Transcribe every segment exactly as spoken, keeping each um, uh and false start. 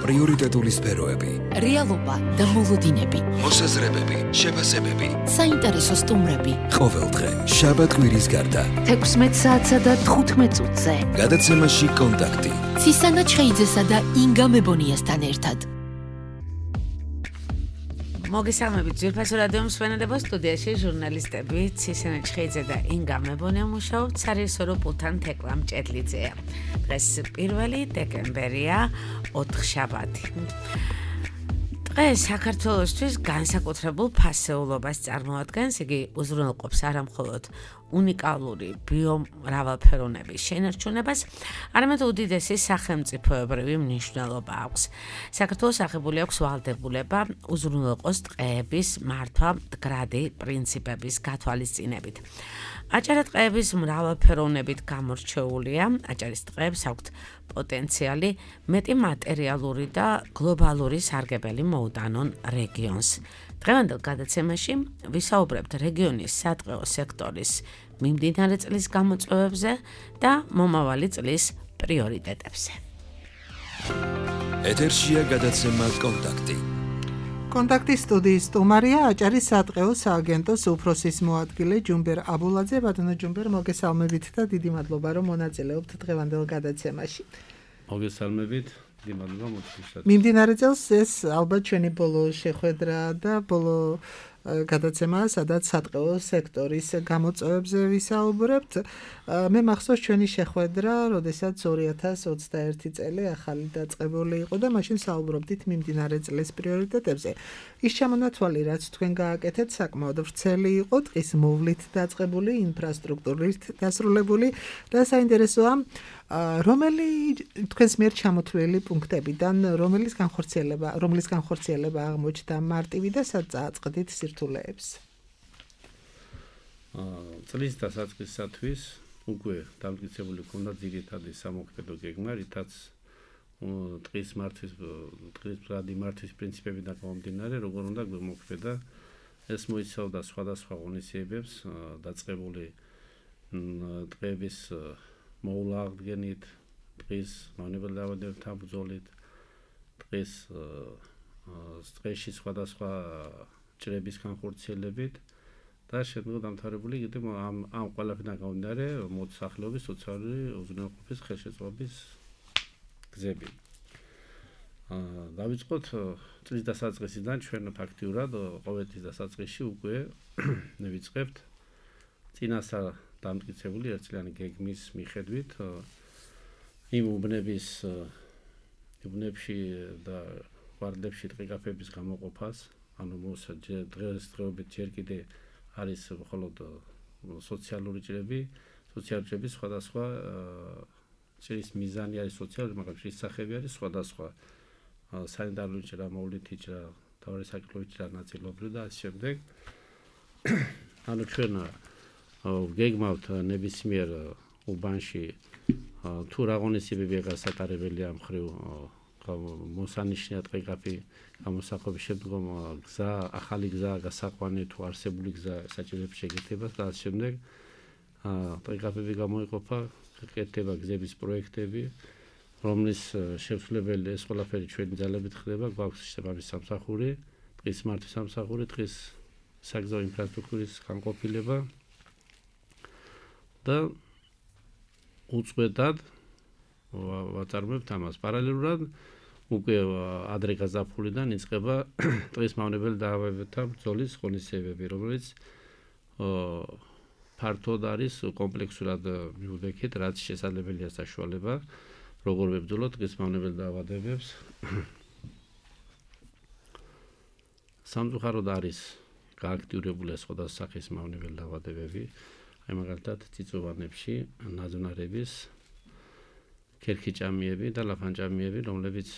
პრიორიტეტული სფეროები, რეალობა და მოლოდინები, მოსაზრებები, შეფასებები, საინტერესო სტუმრები. ყოველდღე შაბათ-კვირის გარდა თექვსმეტ საათსა და თხუთმეტ წუთზე გადაცემაში კონტაქტი ცისანა ჩხეიძესა და ინგა მებონიასთან ერთად. მოგესალმებით ძვირფასო რადიო მსმენელებო, სტუდიაში ჟურნალისტები ცისანა ჩხეიძე და ინგა მებონია მუშაობთ, სარეჟისორო პულტთან თეკლა მჭედლიძეა. დღეს პირველი დეკემბერია, ოთხშაბათი. დღეს საქართველოსთვის განსაკუთრებულ ფასეულობას წარმოადგენს, იგი უზრუნველყოფს არა მხოლოდ უნიკალური ბიომრავალფეროვნების შენარჩუნებას, არამედ უდიდესი სახელმწიფოებრივი მნიშვნელობა აქვს. საქართველოს აღებული აქვს ვალდებულება უზრუნველყოს ტყეების მართვა მდგრადი პრინციპების გათვალისწინებით. აჭარა ტყეების მრავალფეროვნებით გამორჩეულია, აჭარის ტყეებს აქვთ პოტენციალი მეტი მატერიალური და გლობალური სარგებელი მოუტანონ რეგიონს. დღევანდელ გადაცემაში ვისაუბრებთ რეგიონის სატყეო სექტორის მიმდინარე წლის გამოწვევებზე და მომავალი წლის პრიორიტეტებზე. ეთერშია გადაცემა კონტაქტი. კონტაქტის სტუდიის სტუმარია აჭარის სატყეო სააგენტოს უფროსის მოადგილე ჯუმბერ აბულაძე. ბატონო ჯუმბერ, მოგესალმებით და დიდი მადლობა, რომ მონაწილეობთ დღევანდელ გადაცემაში. მოგესალმებით, დიდი მადლობა მოწვევისთვის. მიმდინარე წელს ეს ალბათ ჩვენი ბოლო შეხვედრა და ბოლო გადაცემა, სადაც სატყეო სექტორის გამოწვევებზე ვისაუბრებთ. მე მახსოვს ჩვენი შეხვედრა, როდესაც ორი ათას ოცდაერთი წელი ახალი დაწყებული იყო და მაშინ საუბრობდით მიმდინარე წლის პრიორიტეტებზე. ის ჩამონათვალი, რაც თქვენ გააკეთეთ, საკმაოდ ვრცელი იყო, ტყის მოვლით დაწყებული, ინფრასტრუქტურით დასრულებული და საინტერესოა, რომელი თქვენს მიერ ჩამოთვლილი პუნქტებიდან რომლის განხორციელება, რომლის განხორციელება აღმოჩნდა მარტივი და სად წააწყდით სირთულეებს? წლის დასაწყისისათვის უკვე დამტკიცებული ჰქონდა ძირითადი სამოქმედო გეგმა, რითაც ტყის მართვის ტყის მდგრადი მართვის პრინციპებიდან გამომდინარე, როგორ უნდა გვემოქმედა. ეს მოიცავდა სხვადასხვა ღონისძიებებს, დაწყებული ტყეების მოვლა აღდგენით, ტყის მავნებელ დაავადებებთან ბრძოლით, ტყის ტყეში სხვადასხვა ჭრების განხორციელებით და შემდგომ დამთავრებული კიდევ ამ ამ ყველაფერთან გამომდინარე მოსახლეობის სოციალური უზრუნველყოფის ხელშეწყობის გზები. დავიწყოთ წლის დასაწყისიდან. ჩვენ ფაქტიურად ყოველ წლის დასაწყისში უკვე ვიწყებთ წინასწარ დამტკიცებული ერთწლიანი გეგმის მიხედვით იმ უბნების უბნებში და კვარტლებში ტყეკაფეების გამოყოფას, ანუ დღესდღეობით ჯერ კიდე არის მხოლოდ სოციალური ჭრები, სოციალური ჭრების სხვადასხვა ჭრის მიზანი არის სოციალური, მაგრამ ჭრის სახეები არის სხვადასხვა. სანიტარული ჭრა, მოვლითი ჭრა, მთავარი საკლუბო ჭრა ნაწილობრივ და ასე შემდეგ. ანუ ჩვენ გეგმავთ ნებისმიერ უბანში თუ რა ღონისძიებებია გასატარებელი ამ მხრივ მოსანიშნია ტყეკაფე გამოსახობის შემდგომ გზა, ახალი გზა გასაყვანი თუ არსებული გზა საჭიროებს შეკეთებას და ასე შემდეგ. ტყეკაფეები გამოიყოფა, გაკეთდება გზების პროექტები, რომლის შესრულებელი ეს ყველაფერი ჩვენი ძალებით ხდება. გვაქვს შესაბამისი სამსახური, ტყის მართვის სამსახური, ტყის საგზაო ინფრასტრუქტურის განყოფილება და უწყვეტად ვაწარმოებთ ამას. პარალელურად უკვე ადრე გაზაფხულიდან იწყება ტყის მავნებელ დაავადებებთან ბრძოლის ღონისძიებები, რომელიც ფართოდ არის კომპლექსურად მივდექით, რაც შესაძლებელია საშუალება, როგორ ვებრძოლოთ ტყის მავნებელ დაავადებებს. სამწუხაროდ არის გააქტიურებული სხვადასხვა სახის მავნებელ დაავადებები. აი მაგალითად წიწვოვანებში ნაძვნარების ქერქიჭამიები და ლაფანჭამიები, რომლებიც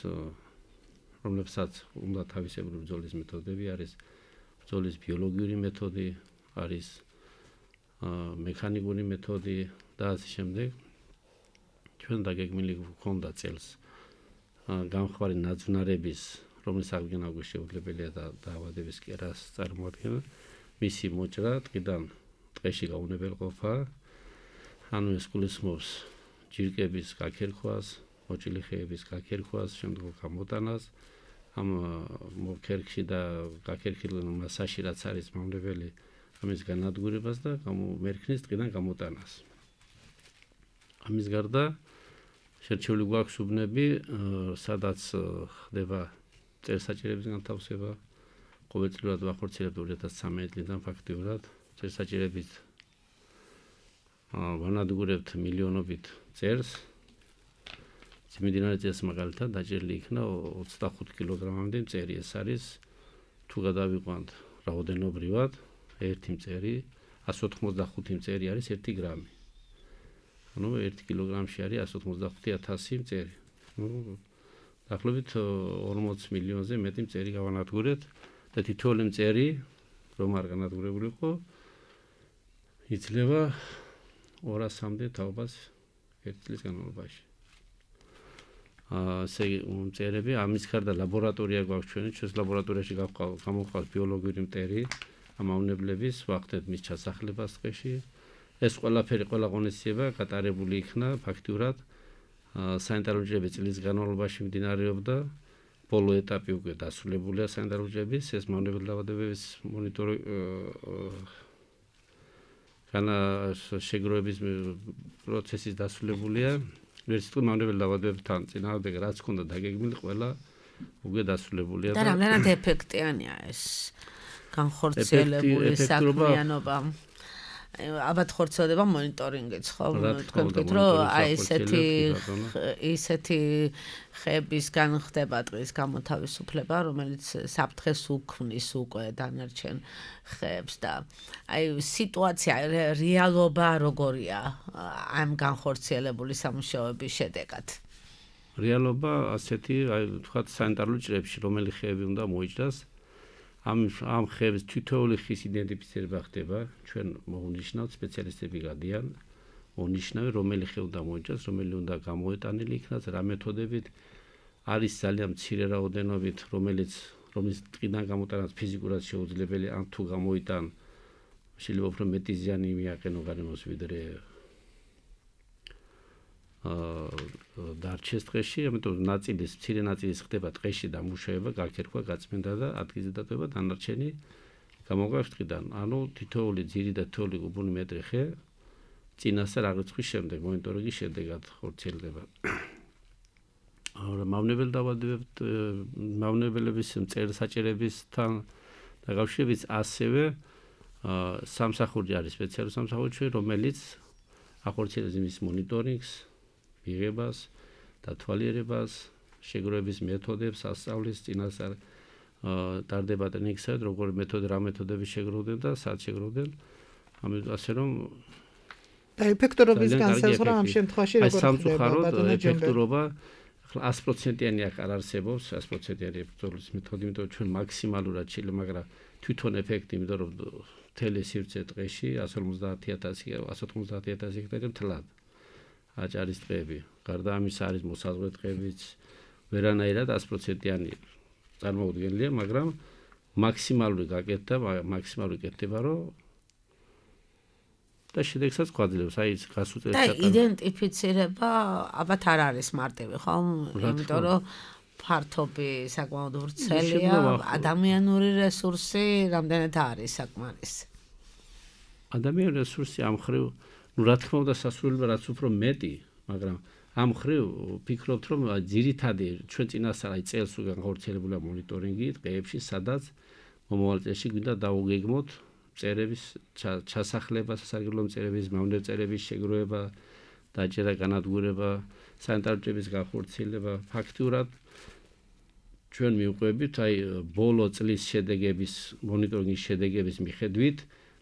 რომლებსაც უნდა თავისებური ბრძოლის მეთოდები არის, ბრძოლის ბიოლოგიური მეთოდი არის, მექანიკური მეთოდი და ასე შემდეგ. ჩვენ დაგეგმილი გვქონდა წელს გამხმარი ნაძვნარების, რომლის აღდგენა უკვე შეუძლებელია და დაავადების კერას წარმოადგენს, მისი მოჭრა ტყიდან ტყეში გაუნებელყოფა, ანუ ეს გულისხმობს ჯირკების გაქერხვას, მოჭილი ხეების გაქერხვას, შემდგომ გამოტანას, ამ მოკერქში და გაქერქილ მასაში რაც არის მავნებელი ამის განადგურებას და მერქნის ტყიდან გამოტანას. ამის გარდა შერჩეული გვაქვს უბნები, სადაც ხდება წერსაჭირების განთავსება. ყოველწლიურად ვახორციელებთ ორი ათას ცხრამეტი წლიდან ფაქტიურად წერსაჭირებით ვანადგურებთ მილიონობით წერს. მიმდინარე წელს მაგალითად დაჭერილი იქნა ოცდახუთი კილოგრამამდე მწერი. ეს არის თუ გადავიყვანთ რაოდენობრივად ერთი მწერი, ასი ოთხმოცდახუთი მწერი არის ერთი გრამი. ანუ ერთი კილოგრამში არის ასი ოცდახუთი ათასი მწერი. ნუ დაახლოებით ორმოც მილიონზე მეტი მწერი გავანადგურეთ და თითოეული მწერი რომ არ განადგურებული იყო იძლევა ორასამდე თაობას ერთი წლის განმავლობაში. ასე მწერები ამის გარდა ლაბორატორია გვაქვს ჩვენი, ჩვენს ლაბორატორიაში გამოყავს ბიოლოგიური მტერი, ამავნებლების ვახდეთ მის ჩასახლებას ტყეში. ეს ყველაფერი ყველა ღონისძიება გატარებული იქნა ფაქტიურად სანიტარული ჯგუფების წლის განმავლობაში მიმდინარეობდა. ბოლო ეტაპი უკვე დასრულებულია სანიტარული ჯგუფების, ეს მავნებელი დაავადებების მონიტორი განა შეგროვების პროცესის დასრულებულია. ვერც თუ მავნებელი დაავადებებთან წინააღმდეგ რაც ქონდა დაგეგმილი ყველა უკვე დასრულებულია და რამდენად ეფექტიანია ეს განხორციელებული საქმიანობა. აბათ ხორციელდება მონიტორინგიც, ხო? თქვენ ვთქვით, რომ აი ესეთი ისეთი ხეებისგან ხდება ტყის გამოთავისუფლება, რომელიც საფრთხეს უქმნის უკვე დანარჩენ ხეებს და აი სიტუაცია, რეალობა როგორია ამ განხორციელებული სამუშაოების შედეგად? რეალობა ასეთი, აი თქვათ სანიტარული ჭრებში, რომელი ხეები უნდა მოიჭრას. ამ ამ ხეების თითოეული ხის იდენტიფიცირება ხდება, ჩვენ მოვნიშნავთ სპეციალისტები გადიან, მონიშნავენ რომელი ხე უნდა მოიჭრას, რომელი უნდა გამოეტანილი იქნას, რა მეთოდებით არის ძალიან მცირე რაოდენობით, რომელიც რომლის ტყიდან გამოტანაც ფიზიკურად შეუძლებელი, ან თუ გამოიტან შეიძლება უფრო მეტი ზიანი მიაყენო გარემოს ვიდრე აა დარჩეს ტყეში, ამიტომ ნაწილის, მცირე ნაწილის ხდება ტყეში დამუშავება, გაქერქვა, გაწმენდა და ადგილზე დატოება დანარჩენი გამოყვება ტყიდან. ანუ თითოეული ძირი და თითოეული კუბური მეტრი ხე წინასწარ აღრიცხვის შემდეგ, მონიტორინგის შედეგად ხორციელდება. მავნებელი დაავადებებით, მავნებელების მწერსაჭირებისთან დაკავშირებით ასევე სამსახური არის სპეციალური სამსახური, რომელიც ახორციელებს იმის მონიტორინგს, მიღებას, დათვალიერებას, შეგროვების მეთოდებს, ასწავლის წინასწარ ტარდება ტრენინგსა, როგორი მეთოდი, რა მეთოდები შეგროვდნენ და სად შეგროვდნენ. ამიტომ ასე რომ და ეფექტურობის განსაზღვრა ამ შემთხვევაში როგორ ხდება? ეფექტურობა ასი პროცენტიანი არ არსებობს, ასი პროცენტიანი ეფექტურობის მეთოდი, იმიტომ რომ ჩვენ მაქსიმალურად შეიძლება, მაგრამ თვითონ ეფექტი, იმიტომ რომ მთელი სივრცე ტყეში ასი ორმოცდაათი ათასი, ასი ოთხმოცდაათი ათასი ჰექტარი მთლად აჭარის ტყეები. გარდა ამისა არის მოსაზღვრე ტყეებიც, ვერანაირად ასი პროცენტიანი წარმოუდგენელია, მაგრამ მაქსიმალური გაკეთდა, მაქსიმალური კეთდება, რომ და შედეგსაც გვაძლევს, აი ეს გასუწევს და იდენტიფიცირება ალბათ არ არის მარტივი, ხო? იმიტომ რომ ფართობი საკმაოდ ვრცელია, ადამიანური რესურსი რამდენად არის საკმარისი. ადამიანური რესურსი ამ ხრივ, ну რა თქმა უნდა სასურველია რაც უფრო მეტი, მაგრამ ამ ხრივ ვფიქრობთ რომ ძირითადი ჩვენ წინასწარ აი წელს უკვე განხორციელებულია მონიტორინგი ტყეებში, სადაც მომავალ წელში გვინდა დაუგეგმოთ მწერების ჩასახლება, სასარგებლო მწერების, მავნებელი მწერების შეგროვება, დაჭერა, განადგურება, სანიტარული ჯგუფის განხორციელება. ფაქტიურად ჩვენ მივყვებით აი ბოლო წლის შედეგების, მონიტორინგის შედეგების მიხედვით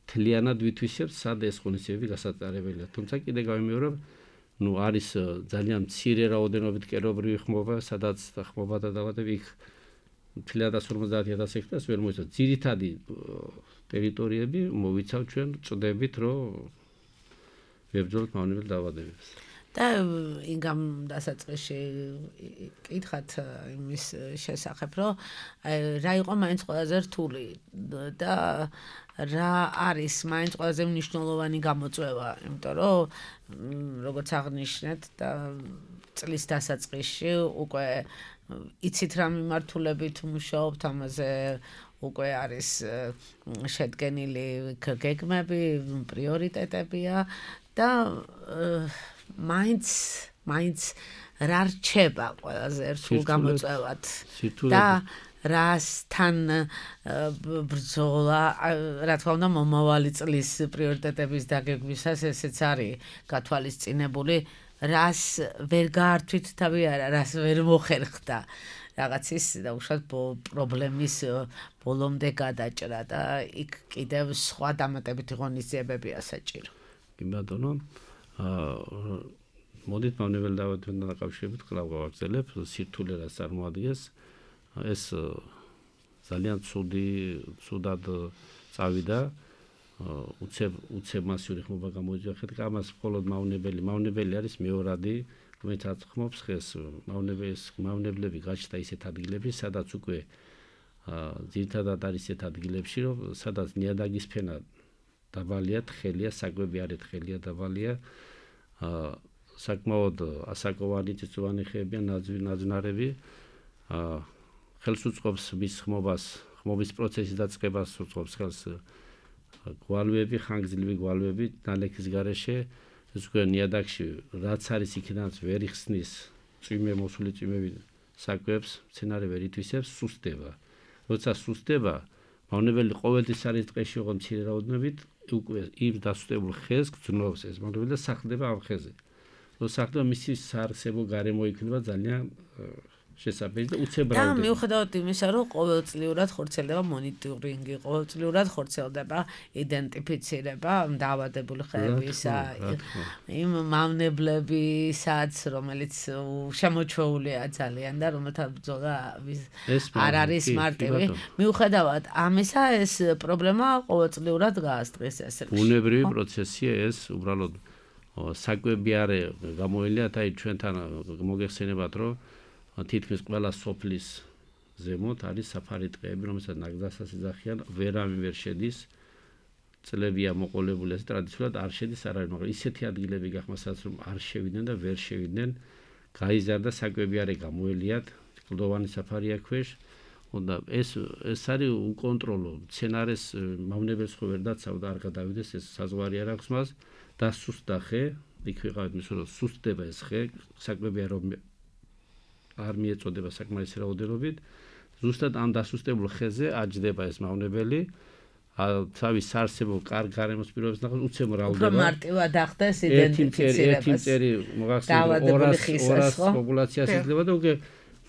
თლიანად ვითვისებთ, სად ეს ღონისძიებები გასატარებელია. თუმცა კიდე გავიმეორებ, ну არის ძალიან მცირე რაოდენობით კერობრივი ხმობა, სადაც ხმობა და დაავადებები იქ თლიანად ასი ორმოცდაათი ათასი ჰექტარს ვერ მოიცავ. ძირითადი ტერიტორიები მოვიცავ ჩვენ წდებით, რომ ვებრძოლოთ მავნებელ დაავადებებს. და ინგამ დასაწყისში კითხათ იმის შესახებ, რომ რა იყო მაინც ყველაზე რთული და რა არის მაინც ყველაზე მნიშვნელოვანი გამოწვევა, იმიტომ რომ როგორც აღნიშნეთ და წლის დასაწყისში უკვე იცით რა მიმართულებით მუშაობთ ამაზე უკვე არის შედგენილი გეგმები, პრიორიტეტებია და მაინც მაინც რა რჩება ყველაზე ერთულ გამოწვევად და რასთან ბრძოლა, რა თქმა უნდა, მომავალი წლის პრიორიტეტების დაგეგმვისას ესეც არის გათვალისწინებული, რას ვერ გაართვით თავი არა, რას ვერ მოხერხდა რაღაცის დაუშვათ პრობლემის ბოლომდე გადაჭრა და იქ კიდევ სხვა დამატებითი ღონისძიებებია საჭირო. კი ბატონო, მოდით მავნებელ დაავადებასთან დაკავშირებით კვლავ გავაგრძელებ სირთულე რაც წარმოადგენს ეს ძალიან ცუდი ცუდად წავიდა უცებ უცებ მასიური ხმობა გამოიწვია ხეთ ამას მხოლოდ მავნებელი მავნებელი არის მეორადი რომელიც აწხმობს ხეს მავნებლის მავნებლები გაჩნდა ისეთ ადგილებში სადაც უკვე ძირითადად არის ისეთ ადგილებში რომ სადაც ნიადაგის ფენა დაბალია თხელია საკვები არ თხელია დაბალია საკმაოდ ასაკოვანი წიწვოვანი ხეებია ნაძვნარები ხელს უწყობს მის ხმობას ხმობის პროცესის დაწყებას უწყობს ხელს გვალვები ხანგრძლივი გვალვები ნალექის გარეშე ეს უკვე ნიადაგში რაც არის იქიდანაც ვერ იხსნის წვიმე მოსული წვიმები საკვებს მცენარე ვერ ითვისებს სუსტდება როცა სუსტდება მავნებელი ყოველთვის არის ტყეში ოღონდ მცირე რაოდენობით უკვე იმ დასუსტებულ ხეს გძნობს ეს მავნებელი და სახლდება ამ ხეზე როცა სახლდება მისი საარსებო გარემო იქნება ძალიან შესაბამისი და უცებრავი. და მიუხედავად იმისა, რომ ყოველწლიურად ხორციელდება მონიტორინგი, ყოველწლიურად ხორციელდება იდენტიფიცირება დაავადებული ხეებისა, იმ მავნებლებისაც, რომელიც შემოჩვეულია ძალიან და რომელთა ბრძოლა არ არის მარტივი. მიუხედავად ამისა, ეს პრობლემა ყოველწლიურად გაასწრეს ესე. ბუნებრივი პროცესია ეს, უბრალოდ საკვები არ გამოელია, აი ჩვენთან მოგეხსენებათ, რომ თითქმის ყველა სოფლის ზემოთ არის საფარი ტყეები, რომელსაც ნაგზასაც იძახიან, ვერავინ ვერ შედის. წლებია მოყოლებული, ასე ტრადიციულად არ შედის არავინ, მაგრამ ისეთი ადგილები გახმასაც რომ არ შევიდნენ და ვერ შევიდნენ, გაიზარდა საკვები არ გამოელიათ, კლდოვანი საფარია ქვეშ. და ეს ეს არის უკონტროლო. მცენარეს მავნებელს ხო ვერ დაცავდა, არ გადავიდეს, ეს საზღვარი არ აქვს მას და სუსტდა ხე, იქ ვიყავით მის რომ სუსტდება ეს ხე, საკვები არ არ მიეწოდება საკმარისი რაოდენობით ზუსტად ამ დასუსტებულ ხეზე აჯდება ეს მავნებელი თავის საარსებო კარგ გარემოს პირობებს ნახავს უცებ მრავლდება უფრო მარტივად ახდენს იდენტიფიცირებას ერთი წერი მოგახსენებთ ორას პოპულაციას იძლევა და უკვე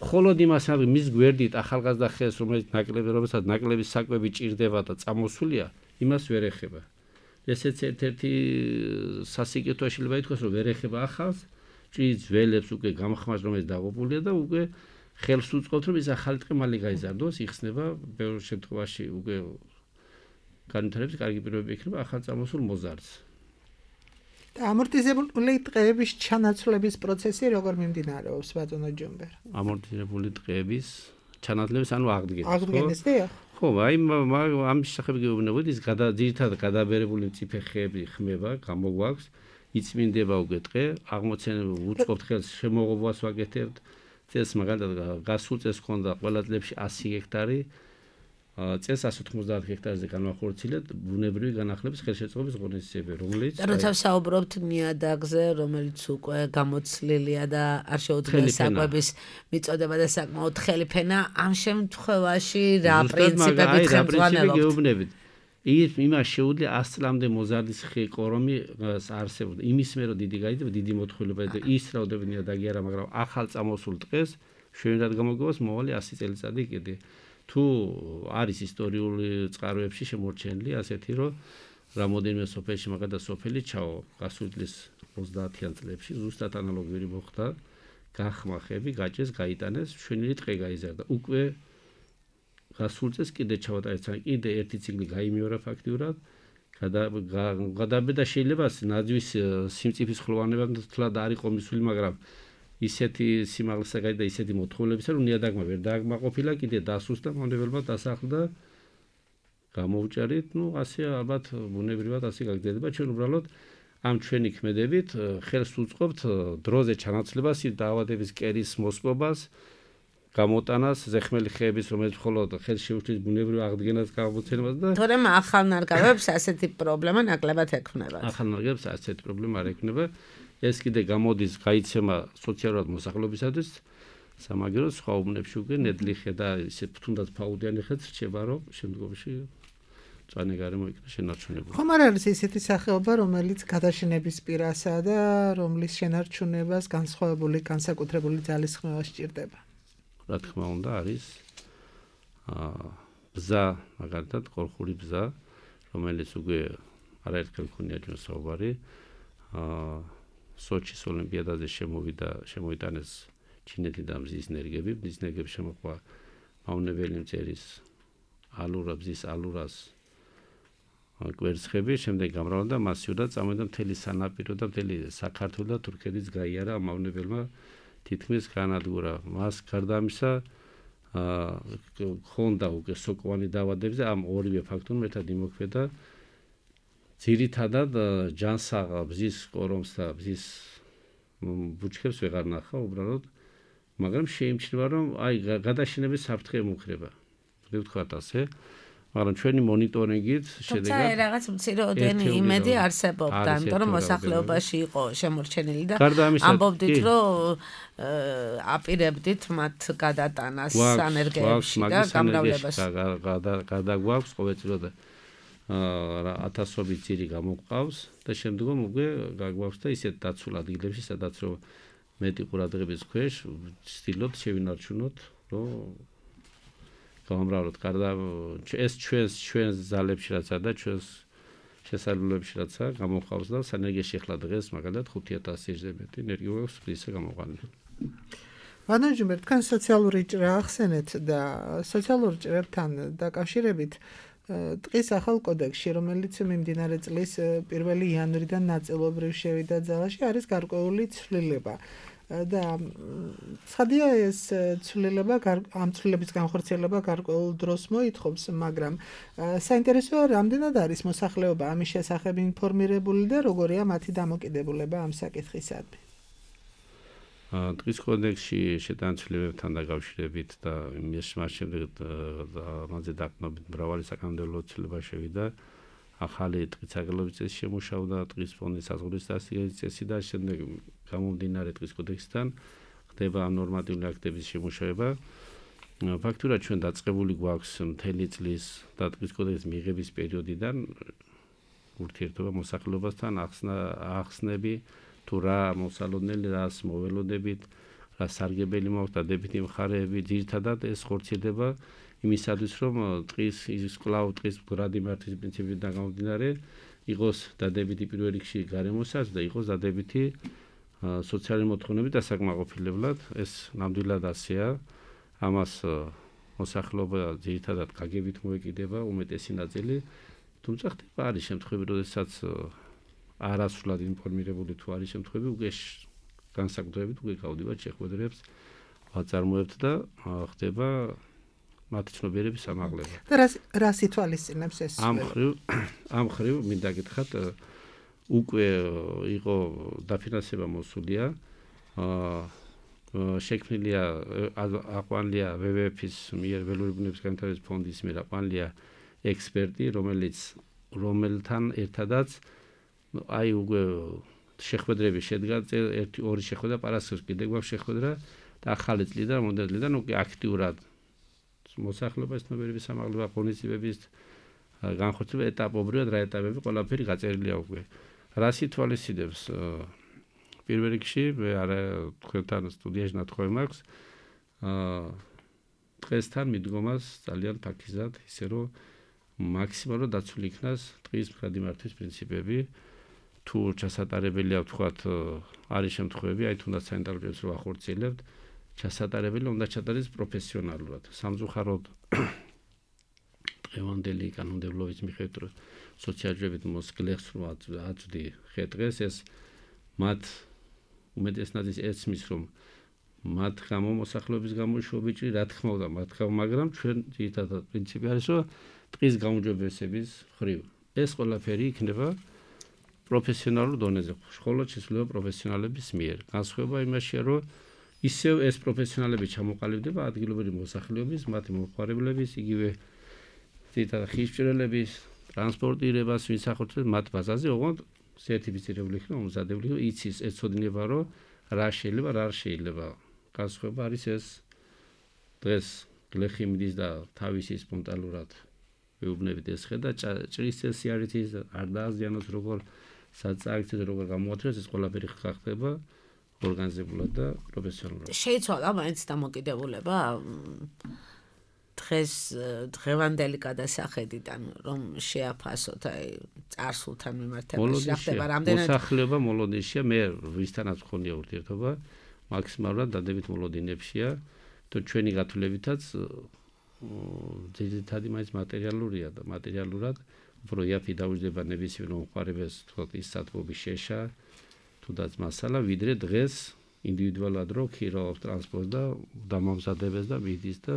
მხოლოდ იმას ამბობ მის გვერდით ახალგაზრდა ხეს რომელიც ნაკლები რომელსაც ნაკლების საკვები ჭირდება და წამოსულია იმას ვერ ეხება ესეც ერთ-ერთი სასიკეთო შეიძლება ითქვას რომ ვერ ეხება ახალს ჭრის ველებს უკვე გამხმარს რომელიც დაღუპულია და უკვე ხელს უწყობთ რომ ის ახალი ტყე მალე გაიზარდოს იხსნება ბევრ შემთხვევაში უკვე განვითარების კარგი პირობები იქნება ახალ წამოსულ მოზარდს და ამორტიზებული ტყეების ჩანაცვლების პროცესი როგორ მიმდინარეობს ბატონო ჯომბერ ამორტიზებული ტყეების ჩანაცვლების ანუ აღდგენის აღდგენის დიახ ხო აი ამ შესახებ გეუბნებოდი ის ძირითადად გადაბერებული მწიფე ხეები ხმება გამოგვაქვს იწმინდება უკვე ტყე, აღმოცენებულ უწყობთ ხელს შემოღობას ვაკეთებთ. წელს მაგალითად გასულ წელს ჰქონდა ყველა წლებში ასი ჰექტარი, წელს ასი ოცდაოთხ ჰექტარზე განვახორციელეთ ბუნებრივი განახლების ხელშეწყობის ღონისძიებები, რომელიც და როცა საუბრობთ ნიადაგზე, რომელიც უკვე გამოცლილია და არ შეუძლია საკვების მიწოდება და საკმაოდ თხელი ფენა, ამ შემთხვევაში რა პრინციპებით ხელმძღვანელობთ? ის იმას შეუძლია ას წლამდე მოზარდის ხე კორომი არსებობდა. იმის მე რომ დიდი გაიძება, დიდი მოთხოვნილება და ის რაოდენობით ნიადაგი არა, მაგრამ ახალ წამოსულ ტყეს შეუძლია გამოგებას მოვალი ასი წელიწადი კიდე. თუ არის ისტორიული წყაროებში შემორჩენილი ასეთი რომ რამოდენიმე სოფელში მაგალითად სოფელი ჩაო გასული წლის ოცდაათიან წლებში ზუსტად ანალოგიური მოხდა გახმა ხები, გაჭეს, გაიტანეს, შვენილი ტყე გაიზარდა. უკვე გასულ წელს კიდე ჩავატარეთ კიდე ერთი ციკლი გაიმეორა ფაქტიურად გადაბედა შეიძლება ნაძვის სიმწიფის ხროვანება თლად არ იყო მისული მაგრამ ისეთი სიმაღლისა გაიდა ისეთი მოთხოვნილებისა რომ ნიადაგმა ვერ დააკმაყოფილა კიდე დასუსტდა მავნებელმა დასახლდა გამოუჭარით ნუ ასე ალბათ ბუნებრივად ასე გაგრძელდება ჩვენ უბრალოდ ამ ჩვენი ქმედებით ხელს უწყობთ დროზე ჩანაცვლებას, დაავადების კერის მოსპობას, გამოტანას, ზეხმელი ხეების, რომელიც მხოლოდ ხელს შეუჩლის ბუნებრივ აღდგენას გამოცემას და თორემ ახალ ნარგავებს ასეთი პრობლემა ნაკლებად ექმნებათ. ახალ ნარგავებს ასეთი პრობლემა არ ექნება. ეს კიდე გამოდის გაიცემა სოციალურად მოსახლეობისათვის, სამაგერო სხვა უბნებში უკვე ნედლი ხე და ისე თუნდაც ფაუდიანი ხეც რჩება, რომ შემდგომში წვანე გარემო იქნება შენარჩუნებული. ხომ არ არის ისეთი სახეობა, რომელიც გადაშენების პირასაა და რომლის შენარჩუნებას განსხვავებული, განსაკუთრებული ძალისხმევა სჭირდება? რა თქმა უნდა არის აა ბზა, მაგალითად, კოლხური ბზა, რომელიც უკვე არაერთხელ ქონია ჩვენ საუბარი. აა სოჩის ოლიმპიადაზე შემოვიდა, შემოიტანეს ჩინეთიდან მზის ნერგები, მზის ნერგები შემოყვა მავნებელი მწერის ალურა, ბზის ალურას კვერცხები, შემდეგ გამრავლდა მასიურად წამოიდა მთელი სანაპირო და მთელი საქართველო და თურქეთის გაიარა ამ მავნებელმა თითქმის განადგურა. მას გარდა ამისა ხონდა უკვე სოკოვანი დაავადებებზე, ამ ორივე ფაქტორმა ერთად იმოქმედა. ძირითადად ჯანსაღ ბზის კორომს და ბზის ბუჩქებს ვეღარ ნახა უბრალოდ, მაგრამ შეიმჩნევა, რომ აი გადაშენების საფრთხე მომხრება. ვთქვათ ასე, მაგრამ ჩვენი მონიტორინგით შედეგად თუმცა რაღაც მცირეოდენი იმედი არსებობდა, იმიტომ რომ მოსახლეობაში იყო შემორჩენილი და ამბობდით, რომ აპირებდით მათ გადატანას სანერგეებში და გამრავლებას. გადაგვაქვს ყოველწლიურად ათასობით ძირი გამოგვყავს და შემდგომ უკვე გაგვაქვს და ისეთ დაცულ ადგილებში, სადაც რომ მეტი ყურადღების ქვეშ ვცდილობთ შევინარჩუნოთ, რომ გამრავლოთ. გარდა ეს ჩვენს ჩვენს ძალებში რაცა და ჩვენს შესაძლებლობებში რაცა გამოხავს და სანერგეში ახლა დღეს მაგალითად ხუთი ათასზე მეტი ენერგია გვაქვს ისე გამოყვანილი. ვანაჯუმერ, თქვენ სოციალური ჭრა ახსენეთ და სოციალურ ჭრებთან დაკავშირებით ტყის ახალ კოდექსში, რომელიც მიმდინარე წლის პირველი იანვრიდან ნაწილობრივ შევიდა ძალაში, არის გარკვეული ცვლილება. და ცხადია ეს ცვლილება ამ ცვლილების განხორციელება გარკვეულ დროს მოითხოვს, მაგრამ საინტერესოა რამდენად არის მოსახლეობა ამის შესახებ ინფორმირებული და როგორია მათი დამოკიდებულება ამ საკითხისადმი. ტყის კოდექსში შეტანილ ცვლილებებთან დაკავშირებით და იმის შემდეგ ამაზე დაყრდნობით მრავალი საკანონმდებლო ცვლილება შევიდა. ახალი ტყის საგალობი წესი შემუშავდა, ტყის ფონდის საზღვრების დასადგენის წესი და შემდეგ გამომდინარე ტყის კოდექსიდან ხდება ამ ნორმატიული აქტების შემუშავება. ფაქტურად ჩვენ დაწყებული გვაქვს მთელი წლის და ტყის კოდექსის მიღების პერიოდიდან ურთიერთობა მოსახლეობასთან, ახსნები თუ რა მოსალოდნელი, რას მოველოდებით, რა სარგებელი მაქვს, დადებითი მხარეები, ძირითადად ეს ხორციელდება იმისათვის, რომ ტყის ის კვლავ ტყის მდგრადი მართვის პრინციპიდან გამომდინარე იყოს დადებითი პირველ რიგში გარემოსაც და იყოს დადებითი სოციალური მოთხოვნებით დასაკმაყოფილებლად. ეს ნამდვილად ასეა. ამას მოსახლეობა ძირითადად გაგებით მოეკიდება უმეტესი ნაწილი, თუმცა ხდება არის შემთხვევები, როდესაც არასრულად ინფორმირებული თუ არის შემთხვევები, უკვე განსაკუთრებით უკვე გავდივართ შეხვედრებს ვაწარმოებთ და ხდება მათი ცნობიერების ამაღლება. და რა რა ითვალისწინებს ეს? ამ ხრივ ამ ხრივ მინდა გითხრათ უკვე იყო დაფინანსება მოსულია. აა შექმნილია აყვანილია ვე ვე ეფ-ის მიერ ველური ბუნების განვითარების ფონდის მიერ აყვანილია ექსპერტი, რომელიც რომელთან ერთადაც აი უკვე შეხვედრები შედგა, ერთი ორი შეხვედრა, პარასკევს კიდე გვაქვს შეხვედრა და ახალი წლიდან, მომდევნო წლიდან უკვე აქტიურად მოსახლეობის ცნობიერების ამაღლება, ღონისძიებების განხორციელება ეტაპობრივად რა ეტაპები ყველაფერი გაწერილია უკვე. რას ითვალისწინებს? პირველ რიგში მე არა თქვენთან სტუდიაში ნათქვამი მაქვს. აა დღესთან მიდგომას ძალიან ფაქიზად, ისე რომ მაქსიმალურად დაცული იქნას ტყის მდგრადი მართვის პრინციპები. თუ ჩასატარებელია ვთქვათ, არის შემთხვევები, აი თუნდაც სანიტარულ პირობებს რო ახორციელებთ, ჩასატარებელი უნდა ჩატარდეს პროფესიონალურად. სამწუხაროდ დღევანდელი კანონმდებლობის მიხედვით სოციალურობით მოსგლეხს რო აწვდი ხე-დღეს ეს მათ უმეტეს ნაწილს ეცმის, რომ მათ გამო მოსახლეობის გამო შობიჭრი, რა თქმა უნდა, მათ გამო, მაგრამ ჩვენ ძირითადად პრინციპი არის, რომ ტყის გაუმჯობესების ხრივ ეს ყველაფერი იქნება პროფესიონალურ დონეზე, მხოლოდ შესრულება პროფესიონალების მიერ. განსხვავება იმაშია, რომ ისევ ეს პროფესიონალები ჩამოყალიბდება ადგილობრივი მოსახლეობის, მათი მომხმარებლების, იგივე ძირითადად ხისჭრელების, ტრანსპორტირებას ვისახორცებს მათ ბაზაზე, ოღონდ სერტიფიცირებული იქნება, მომზადებული იქნება, იცის, ეცოდინება, რომ რა შეიძლება, რა არ შეიძლება. განსხვავება არის ეს დღეს გლეხი მიდის და თავისი სპონტანურად ვეუბნებით ეს ხედა ჭრის წესი არის ის არ დააზიანოს როგორ საწაკცეთ როგორ გამოათრეს ეს ყველაფერი ხდება ორგანიზებულად და პროფესიონალურად. შეიცვალა მაინც დამოკიდებულება დღეს დღევანდელი გადასახედიდან რომ შეაფასოთ აი წარსულთან მიმართებაში რა ხდება რამდენად მოსახლეობა მოლოდინშია მე ვისთანაც ხონია ურთიერთობა მაქსიმალურად დადებით მოლოდინებშია თუ ჩვენი გათვლებითაც ძირითადი მაინც მატერიალურია და მატერიალურად უფრო იაფი დაუჯდება ნებისმიერ მომხმარებელს თქო ის სათბობის შეშა თუდაც მასალა ვიდრე დღეს ინდივიდუალურად რო ქირაობს ტრანსპორტს და დამამზადებს და მიდის და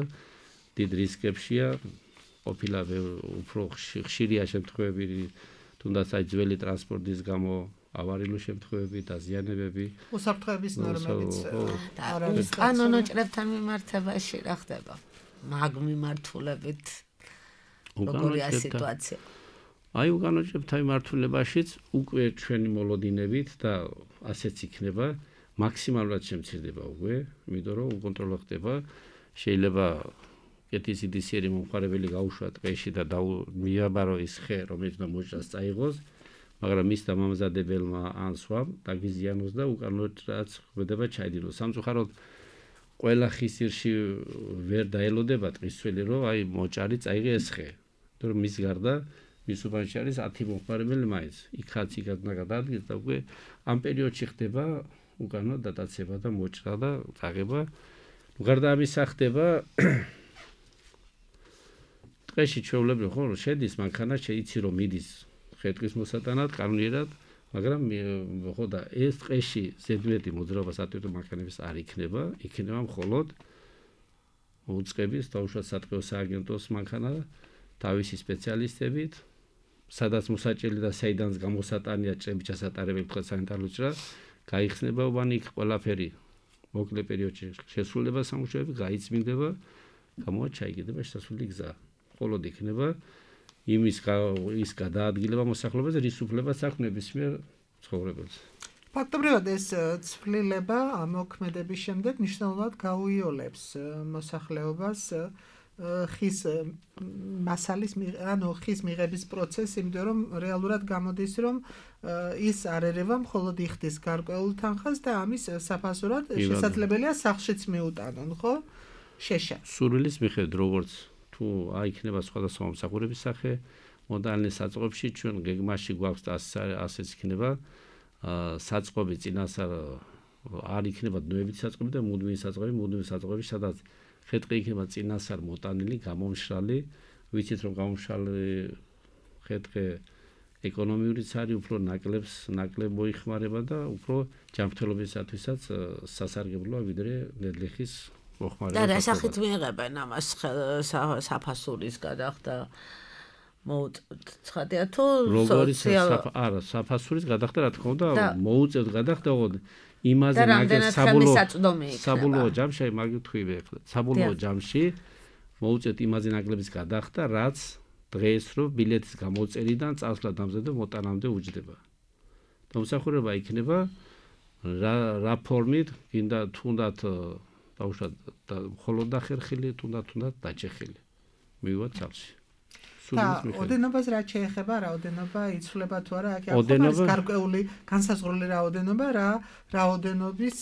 დიდ რისკებშია ყოფილა უფრო ხშირია შემთხვევები თუნდაც აი ძველი ტრანსპორტის გამო ავარიულ შემთხვევები და ზიანებები უსაფრთხოების ნორმებიც არ არის კანონო ჭრებთან მიმართებაში რა ხდება მაგ მიმართულებით როგორია სიტუაცია აი უკანონო ჭრებთან მიმართულებაშიც უკვე ჩვენი მოლოდინებით და ასეც იქნება მაქსიმალურად შემცირდება უკვე იმიტომ რომ უკონტროლო ხდება შეიძლება კეთის იდისიერი მომხმარებელი გაუშვა ტყეში და მიაბარო ის ხე რომელიც უნდა მოჭრას წაიღოს მაგრამ ის დამამზადებელმა ან სვამ დაგიზიანოს და უკანონოდ რაც ხდება ჩაიდინოს სამწუხაროდ ყველა ხისირში ვერ დაელოდება ტყისველი რომ აი მოჭარი წაიღე ეს ხე თორემ მის გარდა მის უბანში არის ათი მომხმარებელი მაინც იქაც იქაც უნდა გადაადგეს და უკვე ამ პერიოდში ხდება უკანონოდ დატაცება და მოჭრა და წაღება გარდა ამისა ხდება ტყეში ჩვეულებრივ ხო შედის მანქანა შეიცი რომ მიდის ხე-ტყის მოსატანად კანონიერად მაგრამ ხო და ეს ტყეში ზედმეტი მოძრაობა სატვირთო მანქანების არ იქნება იქნება მხოლოდ უწყების დაუშვათ სატყეო სააგენტოს მანქანა თავისი სპეციალისტებით სადაც მოსაჭრელი და საიდანაც გამოსატანია ჭრები ჩასატარებელი თქვა სანიტარული ჭრა გაიხსნება უბანი იქ ყველაფერი მოკლე პერიოდში შესრულება სამუშაოები გაიწმინდება გამოა ჩაიგდება შესასვლელი გზა მხოლოდ იქნება იმის ის გადაადგილება მოსახლეობაზე რის უფლებას აქვს ნებისმიერ ცხოვრებელს. ფაქტობრივად ეს ცვლილება ამოქმედების შემდეგ მნიშვნელოვნად გაუიოლებს მოსახლეობას ხის მასალის ანუ ხის მიღების პროცესს, იმიტომ რომ რეალურად გამოდის რომ ის არ ერევა მხოლოდ იხდის გარკვეულ თანხას და ამის საფასურად შესაძლებელია სახლშიც მიუტანონ, ხო? შეშა. სურვილის მიხედვით როგორც თუ აიქნება სხვადასხვა მომსახურების სახე მოდალნის საწყობში ჩვენ გეგმაში გვაქვს და ასეც იქნება საწყობი წინასწარ არ იქნება დნოებითი საწყობი და მუდმივი საწყობი მუდმივი საწყობი სადაც ხე-ტყე იქნება წინასწარ მოტანილი გამომშრალი ვიცით რომ გამომშრალი ხე-ტყე ეკონომიურიც არის უფრო ნაკლებს ნაკლებ მოიხმარება და უფრო ჯანმრთელობისათვისაც სასარგებლოა ვიდრე ნედლეხის და რა სახით მიიღებენ ამას საფასურის გადახდა მოუწევთ თუ სოციალ არა საფასურის გადახდა რა თქმა უნდა მოუწევთ გადახდა ოღონდ იმაზე ნაგებ საბოლოო საბოლოო ჯამში მაგ თქვი ახლა საბოლოო ჯამში მოუწევთ იმაზე ნაგლების გადახდა რაც დღეს რო ბილეთის გამოწერიდან წასვლა დამზადდა მოტანამდე უჯდება მომსახურება იქნება რა რა ფორმით გინდა თუნდაც დაუშვათ და მხოლოდ დახერხილი თუნდაც თუნდაც დაჭეხილი მივივა ცალში და ოდენობას რა შეეხება რაოდენობა იცვლება თუ არა აქ არის გარკვეული განსაზღვრული რაოდენობა რა რაოდენობის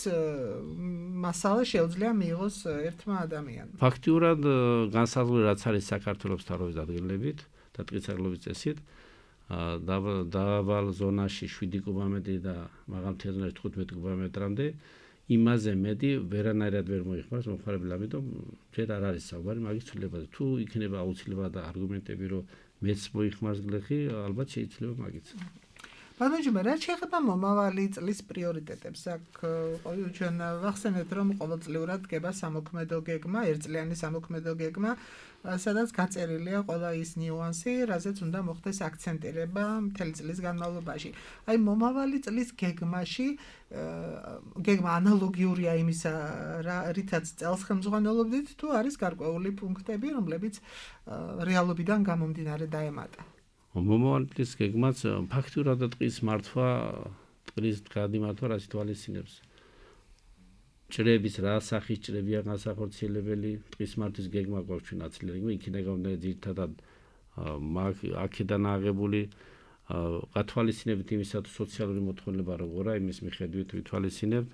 მასალა შეუძლია მიიღოს ერთმა ადამიანმა ფაქტიურად განსაზღვრული რაც არის საქართველოს თავრობის ადგილებით და ტყისარლობის წესით დავალ ზონაში შვიდი კუბომეტრი და მაღალმთიან ზონაში თხუთმეტი კუბომეტრამდე იმაზე მეტი ვერანაირად ვერ მოიხმარს მომხმარებელი, ამიტომ ჯერ არ არის საუბარი მაგის ცვლილებაზე. თუ იქნება აუცილებლად და არგუმენტები, რომ მეც მოიხმარს გლეხი, ალბათ შეიძლება მაგიც. ბანოჯმა რა შეეხება მომავალი წლის პრიორიტეტებს აქ ყოველ ჩვენ ვახსენეთ რომ ყოველწლიურად დგება სამოქმედო გეგმა, ერთწლიანი სამოქმედო გეგმა, სადაც გაწერილია ყველა ის ნიუანსი, რაზეც უნდა მოხდეს აქცენტირება მთელი წლის განმავლობაში. აი მომავალი წლის გეგმაში გეგმა ანალოგიურია იმისა, რითაც წელს ხელმძღვანელობდით, თუ არის გარკვეული პუნქტები, რომლებიც რეალობიდან გამომდინარე დაემატა. მომავალი წლის გეგმაც ფაქტურად ტყის მართვა, ტყის გადიმართვა რას ითვალისწინებს? ჭრების რა სახის ჭრებია განსახორციელებელი, ტყის მართვის გეგმა გვაქვს ჩვენ აცილებული, იქიდან გამომდინარე ძირითადად აქედან აღებული გათვალისწინებით იმისა თუ სოციალური მოთხოვნილება როგორია, იმის მიხედვით ვითვალისწინებთ.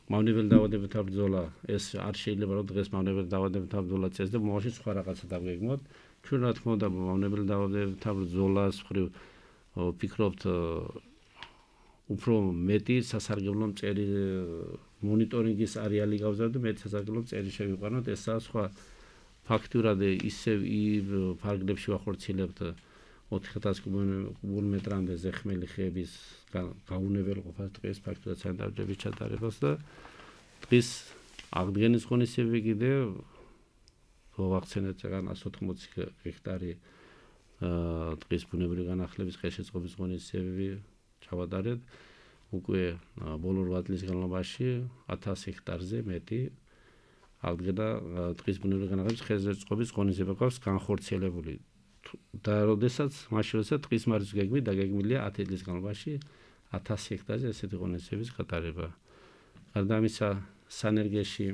მავნებელი დაავადებათა ბრძოლა ეს არ შეიძლება რომ დღეს მავნებელი დაავადებათა ბრძოლა წეს და მომავალში სხვა რაღაცა დავგეგმოთ. ჩვენ რა თქმა უნდა მავნებელი დაავადებათა ბრძოლას მხრივ ვფიქრობთ უფრო მეტი სასარგებლო მწერი მონიტორინგის არეალი გავზარდოთ და მეტი სასარგებლო მწერი შევიყვანოთ. ესაა სხვა ფაქტურად ისევ ფარგლებში ვახორციელებთ ოთხ ათას კუბომეტრამდე ზეხმელი ხეების გაუნებელ ყოფას ტყის ფაქტურად სანიტარების ჩატარებას და ტყის აღდგენის ღონისძიებები კიდევ ვახცენეთ რადგან εκατს ოთხმოცი ჰექტარი ტყის ბუნებრივი განახლების ხელშეწყობის ღონისძიებები ჩავატარეთ. უკვე ბოლო რვა წლის განმავლობაში ათას ჰექტარზე მეტი აღდგენა ტყის ბუნებრივი განახლების ხელშეწყობის ღონისძიება გვაქვს განხორციელებული. და როდესაც მაშინ როდესაც ტყის მართვის გეგმით დაგეგმილია ათი წლის განმავლობაში ათას ჰექტარზე ესეთი ღონისძიების გატარება. გარდა ამისა სანერგეში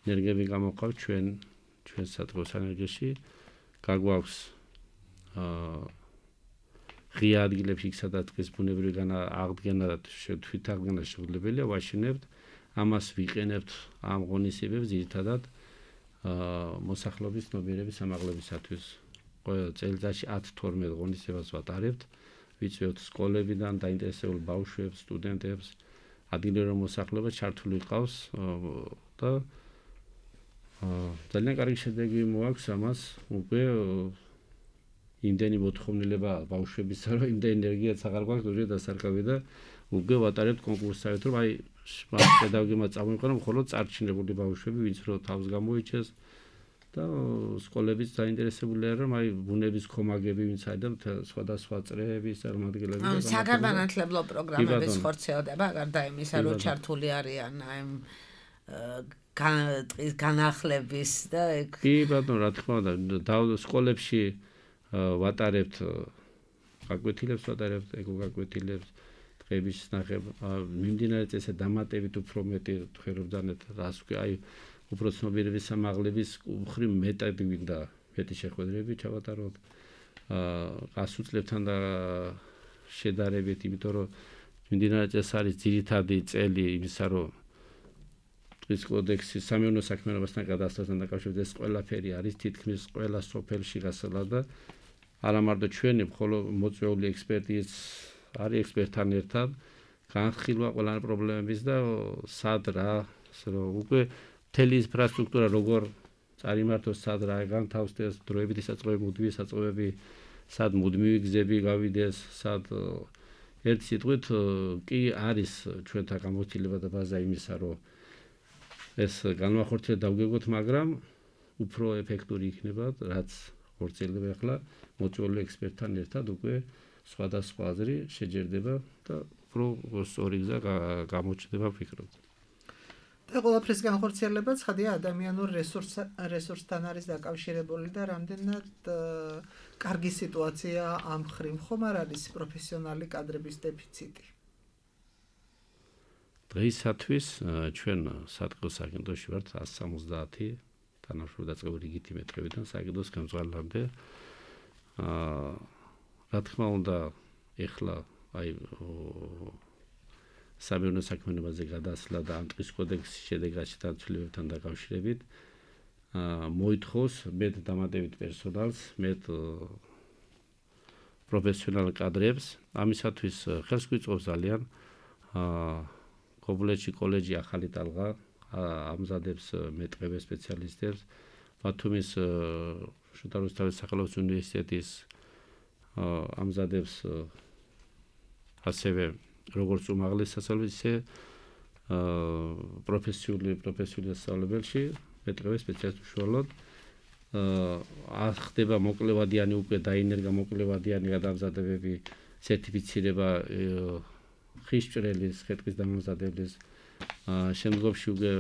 ენერგიები გამოყავთ ჩვენ ჩვენ საწყოს ენერგიაში გაგვაქვს ღია ადგილებში იქ სადაც ტყის ბუნებრივი აღდგენა და თვითაღდგენა შეუძლებელია ვაშინებთ. ამას ვიყენებთ ამ ღონისძიებებს ძირითადად მოსახლეობის ცნობიერების ამაღლებისათვის. ყველა წელიწადში ათი თორმეტ ღონისძიებას ვატარებთ. ვიწვევთ სკოლებიდან დაინტერესებულ ბავშვებს, სტუდენტებს, ადგილობრივ მოსახლეობას ჩართული ყავს და ძალიან კარგი შედეგი მოაქვს ამას. უკვე იმდენი მოთხოვნილება ბავშვებისა, რომ იმდენი ენერგიაც აღარ გვაქვს უჯრედი დასარკავი და უკვე ვატარებთ კონკურსსავით, რომ აი პედაგოგებმა წამოიყვანონ მხოლოდ წარჩინებული ბავშვები, ვინც რო თავს გამოიჩეს და სკოლებიც დაინტერესებულია, რომ აი ბუნების ქომაგები ვინც აიდა სხვადასხვა წრეების წარმომადგენლები და საგანმანათლებლო პროგრამების ხორციელდება, გარდა იმისა, რომ ჩართული არიან აი ტყის განახლების და კი ბატონო, რა თქმა უნდა, სკოლებში ვატარებთ გაკვეთილებს ვატარებთ, ეკოგაკვეთილებს, ტყეების ნახება, მიმდინარე წესზე დამატებით უფრო მეტი ხერხდანეთ რას ვქი, აი უფრო ცნობიერების სამაღლების მხრივ მეტად გვინდა მეტი შეხვედრები ჩავატაროთ. გასუწლებთან და შედარებით, იმიტომ რომ მიმდინარე წესი არის ძირითადი წელი იმისა, რომ ტყის კოდექსის სამეურნეო საქმიანობასთან გადასვლასთან დაკავშირებით ეს ყველაფერი არის თითქმის ყველა სოფელში გასალა და არა მარტო ჩვენი, მხოლოდ მოწვეული ექსპერტიც არის ექსპერტთან ერთად განხილვა ყველა პრობლემების და სად რა, რომ უკვე მთელი ინფრასტრუქტურა როგორ წარიმართოს, სად რა განთავსდეს, დროებითი საწყობები, მუდმივი საწყობები, სად მუდმივი გზები გავიდეს, სად ერთ სიტყვით კი არის ჩვენთან გამოცდილება და ბაზა იმისა, რომ ეს განმახორციელება დავგეგმოთ, მაგრამ უფრო ეფექტური იქნება, რაც ხორციელდება ახლა მოწვეული ექსპერტთან ერთად უკვე სხვადასხვა აზრი შეჯერდება და უფრო სწორი გზა გამოჩნდება ვფიქრობ. და ყველაფრის განხორციელება ცხადია ადამიანურ რესურსთან არის დაკავშირებული და რამდენად კარგი სიტუაცია ამ მხრივ ხომ არ არის პროფესიონალი კადრების დეფიციტი. დღეისათვის ჩვენ სატყეო სააგენტოში ვართ εκατს სამოცდაათი თანამშრომელი დაწყებული რიგითი მეტრებიდან სააგენტოს ხელმძღვანელამდე. რა თქმა უნდა, ეხლა აი სამეურნეო საქმიანობაზე გადასვლა და ამ ტყის კოდექსის შედეგაში დაცვლილებთან დაკავშირებით მოითხოვს მეტ დამატებით პერსონალს, მეტ პროფესიონალ კადრებს. ამისათვის ხელს გვიწყობს ძალიან კობულეთში კოლეჯი ახალი ტალღა ამზადებს მეტყევე სპეციალისტებს. ბათუმის შოთა რუსთაველის სახელობის უნივერსიტეტის ამზადებს ასევე როგორც უმაღლეს სასწავლებლში, ისე პროფესიული პროფესიული სასწავლებელში მეტყველების სპეციალისტ უშუალოდ ახდება მოკლევადიანი უკვე დაინერგა მოკლევადიანი გადამზადებები, სერტიფიცირება ხისჭრელის, ხე-ტყის დამამზადებლის შემდგომში უკვე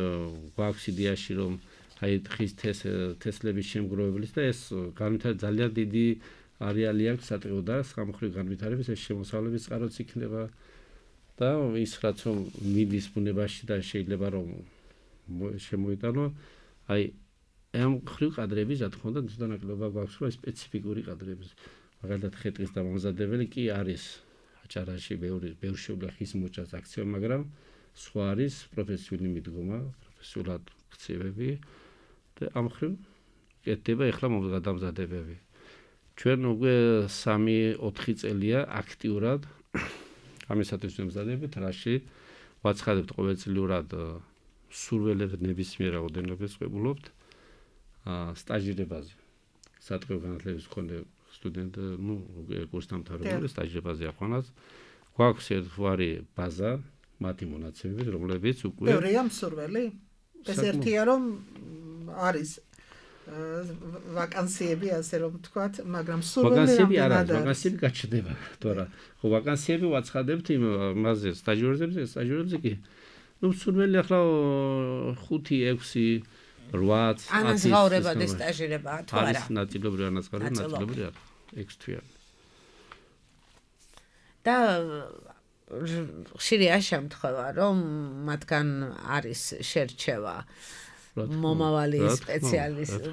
გვაქვს იდეაში რომ აი ხის თესლების შემგროვებლის და ეს განვითარება ძალიან დიდი არეალი აქვს სატყეო და სამხრივ განვითარების ეს შემოსავლების წყაროც იქნება და ის რაც რომ მიდის ბუნებაში და შეიძლება რომ შემოიტანო აი ამ ხრივ კადრების რა თქმა უნდა თვითონ ნაკლებობა გვაქვს რომ სპეციფიკური კადრების მაგალითად ხე-ტყის დამამზადებელი კი არის აჭარაში ბევრი ბევრ შეუძლია ხის მოჭას აქცია მაგრამ სხვა არის პროფესიული მიდგომა პროფესიულად ქცევები და ამ ხრივ კეთდება ახლა მომზადებები ჩვენ უკვე სამი ოთხი წელია აქტიურად ამისათვის მომზადებით რაში ვაცხადებთ ყოველწლიურად სურველებს ნებისმიერ რაოდენობას ვყებულობთ სტაჟირებაზე სატყეო განათლების მქონე სტუდენტ ნუ კურსდამთავრებული სტაჟირებაზე აყვანას გვაქვს ერთგვარი ბაზა მათი მონაცემებით რომლებიც უკვე ბევრია მსურველი ეს ერთია რომ არის ვაკანსიები ასე რომ ვთქვათ, მაგრამ სურველი ვაკანსიები არ არის, ვაკანსიები გაჩნდება, თორემ ხო ვაკანსიები ვაცხადებთ იმაზე სტაჟიორებზე, სტაჟიორებზე კი ნუ სურველი ახლა ხუთი, ექვსი, რვაც, ათი ანაზღაურებადი სტაჟირებაა თუ არა? არის ნაწილობრივი ანაზღაურება, ნაწილობრივი არა, ექვს თვიანი. და ხშირია შემთხვევა, რომ მათგან არის შერჩევა მომავალი სპეციალისტი,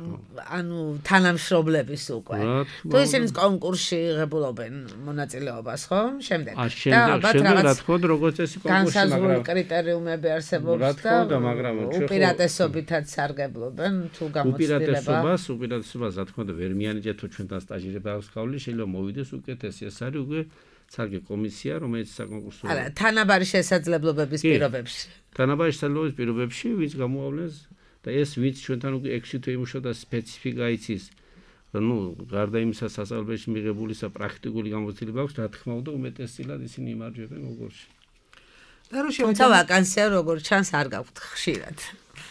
ანუ თანამშრომლების უკვე. თუ ისინი კონკურსში იღებულობენ მონაწილეობას, ხო? შემდეგ. და ალბათ რაღაც როგორც წესი კონკურსში, მაგრამ განსაზღვრული კრიტერიუმები არსებობს და მაგრამ უპირატესობითაც სარგებლობენ თუ გამოცდილება. უპირატესობას, უპირატესობას რა თქმა უნდა ვერ მიანიჭეთ თუ ჩვენთან სტაჟირება აქვს გავლილი, შეიძლება მოვიდეს უკეთესი. ეს არის უკვე სარგე კომისია, რომელიც საკონკურსო არა, თანაბარი შესაძლებლობების პირობებში. თანაბარი შესაძლებლობების პირობებში ვინც გამოავლენს და ეს ვინც ჩვენთან უკვე ექვსი თვე იმუშავდა სპეციფიკა იცის. ნუ გარდა იმისა სასწავლებელში მიღებულისა პრაქტიკული გამოცდილება აქვს, რა თქმა უნდა უმეტესწილად ისინი იმარჯვებენ კონკურსში. და რო შევაჯამოთ ვაკანსია როგორ ჩანს არ გაქვთ ხშირად.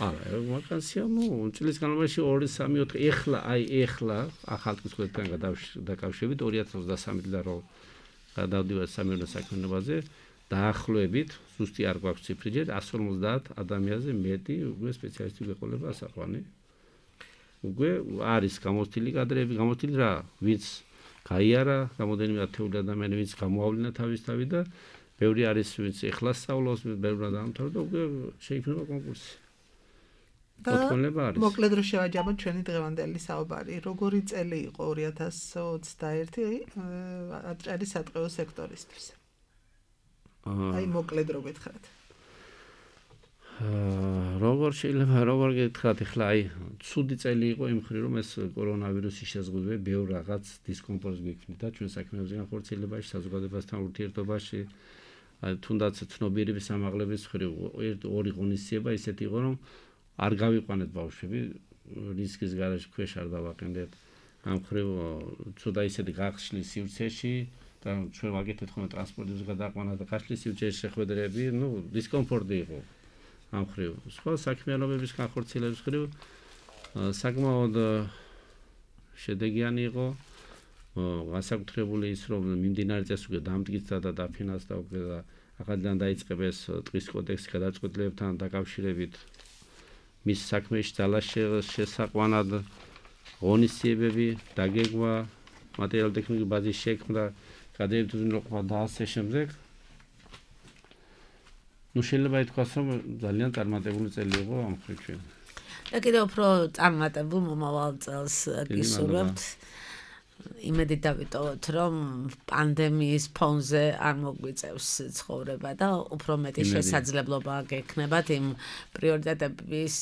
არა, ვაკანსია ნუ წლის განმავლობაში ორი, სამი, ოთხი ეხლა აი ეხლა ახალწლის ყველთან დაკავშირებით ორი ათას ოცდასამი წლიდან რო გადავდივარ სამეურნეო საქმიანობაზე დაახლოებით ზუსტი არ გვაქვს ციფრი εκατს ორმოცდაათ ადამიანზე მეტი უკვე სპეციალისტი გვეყოლება ასაყვანი. უკვე არის გამოცდილი კადრები, გამოცდილი რა, ვინც გაიარა, რამოდენიმე ათეული ადამიანი ვინც გამოავლინა თავისთავად და ბევრი არის ვინც ეხლა სწავლობს, ბევრი დაამთავრა და უკვე შეიქმნება კონკურსი. და მოკლედ რო შევაჯამოთ ჩვენი დღევანდელი საუბარი, როგორი წელი იყო ორი ათას ოცდაერთი აჭარის სატყეო სექტორისთვის? აი მოკლედ რო გითხრათ. როგორ შეიძლება როგორ გითხრათ, ახლა აი ცუდი წელი იყო იმ მხრივ რომ ეს კორონავირუსის შეზღუდვები ბევრ რაღაც დისკომფორტს გვიქმნიდა ჩვენ საქმეებზე განხორციელებაში, საზოგადოებასთან ურთიერთობაში, აი თუნდაც ცნობიერების ამაღლების მხრივ ორი ღონისძიება ისეთი იყო რომ არ გავიყვანეთ ბავშვები, რისკის გარეშე ქვეშ არ დავაყენდეთ. ამ მხრივ ცუდა ისეთი გახსნის სივრცეში და ჩვენ ვაკეთეთ ხოლმე ტრანსპორტის გადაყვანა და გახსნის სივრცეში შეხვედრები, ნუ დისკომფორტი იყო. ამ მხრივ სხვა საქმიანობების განხორციელების მხრივ საკმაოდ შედეგიანი იყო. განსაკუთრებული ის რომ მიმდინარე წელს უკვე დამტკიცდა და დაფინანსდა უკვე და ახალიდან დაიწყება ეს ტყის კოდექსი გადაწყვეტილებებთან დაკავშირებით. მის საქმეში ძალას შესაყვანად ღონისძიებები, დაგეგმა, მატერიალურ-ტექნიკური ბაზის შექმნა, გადაერთვა და ასე შემდეგ. ნუ შეიძლება ითქვას, რომ ძალიან წარმატებული წელი იყო ამ მხრივ ჩვენ. და კიდევ უფრო წარმატებულ მომავალ წელს გისურვებთ. იმედით დავიტოვოთ, რომ პანდემიის ფონზე არ მოგვიწევს ცხოვრება და უფრო მეტი შესაძლებლობა გექნებათ იმ პრიორიტეტების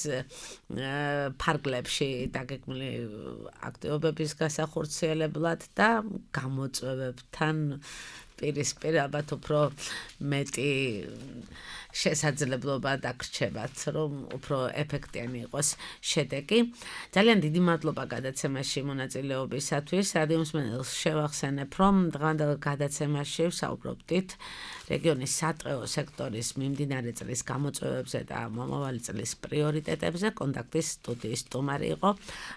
ფარგლებში დაგეგმილი აქტივობების გასახორციელებლად და გამოწვევებთან პირისპირ ალბათ უფრო მეტი შესაძლებლობა დაგრჩებათ, რომ უფრო ეფექტიანი იყოს შედეგი. ძალიან დიდი მადლობა გადაცემაში მონაწილეობისათვის. რადიო მსმენელს შევახსენებ, რომ დღევანდელ გადაცემაში ვსაუბრობდით რეგიონის სატყეო სექტორის მიმდინარე წლის გამოწვევებზე და მომავალი წლის პრიორიტეტებზე. კონტაქტის სტუდიის სტუმარი იყო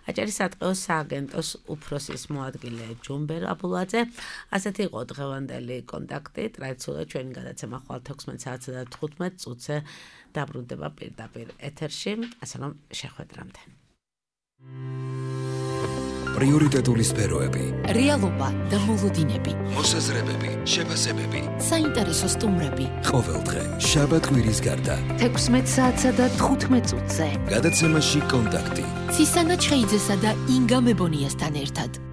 აჭარის სატყეო სააგენტოს უფროსის მოადგილე ჯუმბერ აბულაძე. ასეთი იყო დღევანდელი კონტაქტი. ტრადიციულად ჩვენი გადაცემა ხვალ თექვსმეტ საათსა და თხუთმეტ წუთზე დაბრუნდება პირდაპირ ეთერში. ასე რომ შეხვედრამდე. პრიორიტეტული სფეროები, რეალობა და მოლოდინები, მოსაზრებები, შეფასებები, საინტერესო სტუმრები. ყოველდღე შაბათ კვირის გარდა. თექვსმეტ საათსა და თხუთმეტ წუთზე. გადაცემაში კონტაქტი. ცისანა ჩხეიძესა და ინგა მებონიასთან ერთად.